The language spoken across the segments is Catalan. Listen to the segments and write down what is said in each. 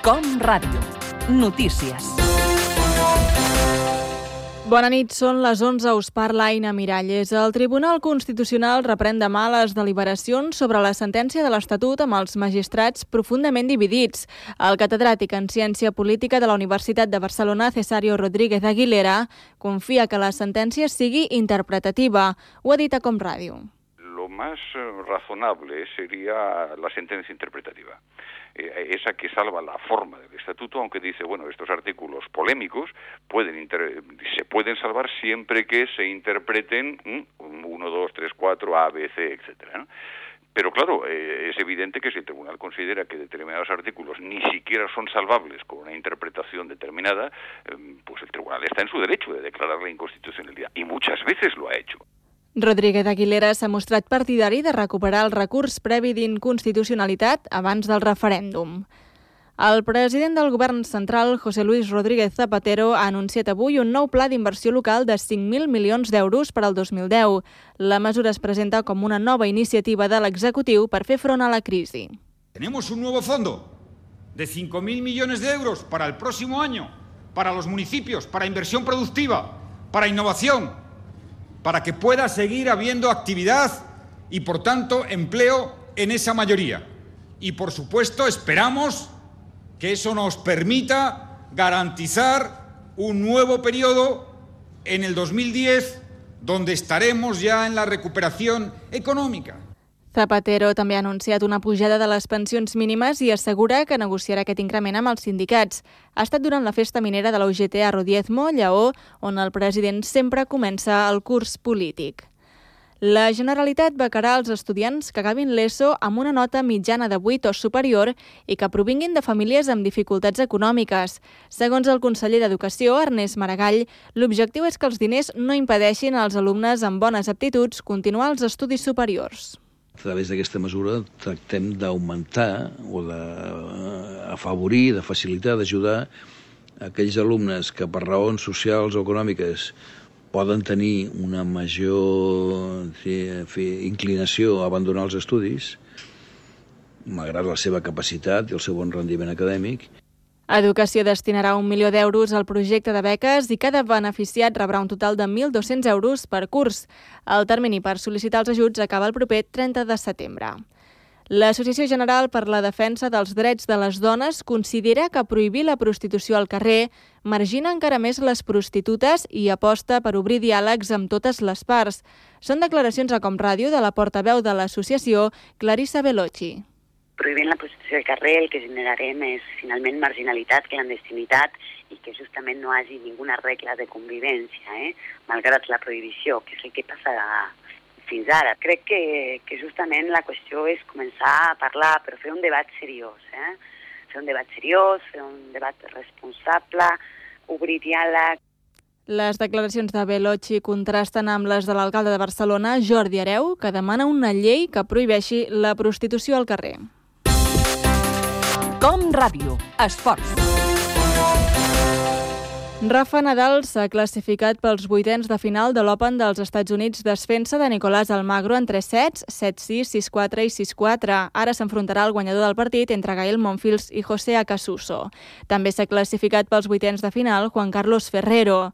Com Ràdio. Notícies. Bona nit, són les 11, us parla Aina Miralles. El Tribunal Constitucional reprèn demà les deliberacions sobre la sentència de l'Estatut amb els magistrats profundament dividits. El catedràtic en Ciència Política de la Universitat de Barcelona, Cesario Rodríguez Aguilera, confia que la sentència sigui interpretativa. Ho ha dit a Com Ràdio. Lo más razonable sería la sentencia interpretativa. Esa que salva la forma del estatuto, aunque dice, bueno, estos artículos polémicos se pueden salvar siempre que se interpreten 1, 2, 3, 4, A, B, C, etcétera, ¿no? Pero claro, es evidente que si el tribunal considera que determinados artículos ni siquiera son salvables con una interpretación determinada, pues el tribunal está en su derecho de declarar la inconstitucionalidad, y muchas veces lo ha hecho. Rodríguez Aguilera s'ha mostrat partidari de recuperar el recurs previ d'inconstitucionalitat abans del referèndum. El president del govern central, José Luis Rodríguez Zapatero, ha anunciat avui un nou pla d'inversió local de 5.000 milions d'euros per al 2010. La mesura es presenta com una nova iniciativa de l'executiu per fer front a la crisi. Tenemos un nuevo fondo de 5.000 millones de euros para el próximo año, para los municipios, para inversión productiva, para innovación, para que pueda seguir habiendo actividad y, por tanto, empleo en esa mayoría. Y, por supuesto, esperamos que eso nos permita garantizar un nuevo periodo en el 2010, donde estaremos ya en la recuperación econòmica. Zapatero també ha anunciat una pujada de les pensions mínimes i assegura que negociarà aquest increment amb els sindicats. Ha estat durant la festa minera de la UGT a Rodiezmo, Lleó, on el president sempre comença el curs polític. La Generalitat becarà els estudiants que acabin l'ESO amb una nota mitjana de 8 o superior i que provinguin de famílies amb dificultats econòmiques. Segons el conseller d'Educació, Ernest Maragall, l'objectiu és que els diners no impedeixin als alumnes amb bones aptituds continuar els estudis superiors. A través d'aquesta mesura tractem d'augmentar o d'afavorir, de facilitar, d'ajudar aquells alumnes que per raons socials o econòmiques poden tenir una major inclinació a abandonar els estudis, malgrat la seva capacitat i el seu bon rendiment acadèmic. Educació destinarà 1 milió d'euros al projecte de beques i cada beneficiat rebrà un total de 1.200 euros per curs. El termini per sol·licitar els ajuts acaba el proper 30 de setembre. L'Associació General per la Defensa dels Drets de les Dones considera que prohibir la prostitució al carrer margina encara més les prostitutes i aposta per obrir diàlegs amb totes les parts. Són declaracions a Com Ràdio de la portaveu de l'associació, Clarissa Veloci. Prohibint la prostitució al carrer el que generarem és finalment marginalitat, clandestinitat i que justament no hi hagi ninguna regla de convivència, malgrat la prohibició, que és el que passa fins ara. Crec que justament la qüestió és començar a parlar, però fer un debat seriós, fer un debat seriós, fer un debat responsable, obrir diàleg. Les declaracions de Veloci contrasten amb les de l'alcalde de Barcelona, Jordi Hereu, que demana una llei que prohibeixi la prostitució al carrer. Com Ràdio. Esports. Rafa Nadal s'ha classificat pels vuitens de final de l'Open dels Estats Units desfent-se de Nicolás Almagro en 3 sets, 7-6, 6-4 i 6-4. Ara s'enfrontarà el guanyador del partit entre Gael Monfils i José Acasuso. També s'ha classificat pels vuitens de final Juan Carlos Ferrero.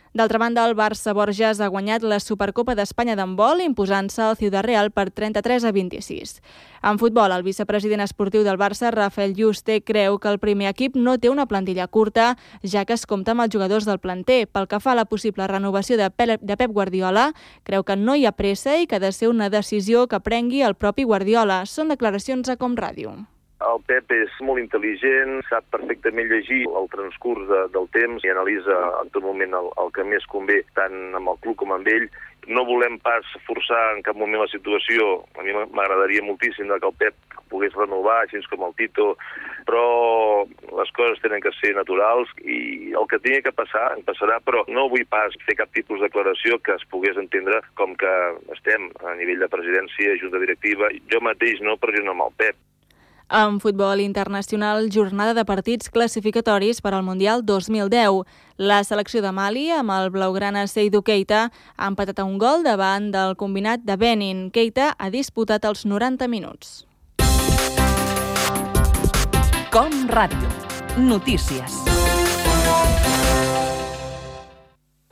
D'altra banda, el Barça Borges ha guanyat la Supercopa d'Espanya d'handbol imposant-se al Ciudad Real per 33-26. En futbol, el vicepresident esportiu del Barça, Rafael Yuste, creu que el primer equip no té una plantilla curta, ja que es compta amb els jugadors del planter. Pel que fa a la possible renovació de Pep Guardiola, creu que no hi ha pressa i que ha de ser una decisió que prengui el propi Guardiola. Són declaracions a Com Ràdio. El Pep és molt intel·ligent, sap perfectament llegir el transcurs del temps i analitza en tot moment el que més convé tant amb el club com amb ell. No volem pas forçar en cap moment la situació. A mi m'agradaria moltíssim que el Pep pogués renovar, així com el Tito, però les coses tenen que ser naturals i el que tingui que passar, en passarà, però no vull pas fer cap tipus de declaració que es pogués entendre com que estem a nivell de presidència, junta directiva. Jo mateix no, però jo no amb el Pep. En futbol internacional, jornada de partits classificatoris per al Mundial 2010. La selecció de Mali, amb el blaugrana Seydou Keita, ha empatat a un gol davant del combinat de Benin. Keita ha disputat els 90 minuts. Com Ràdio. Notícies.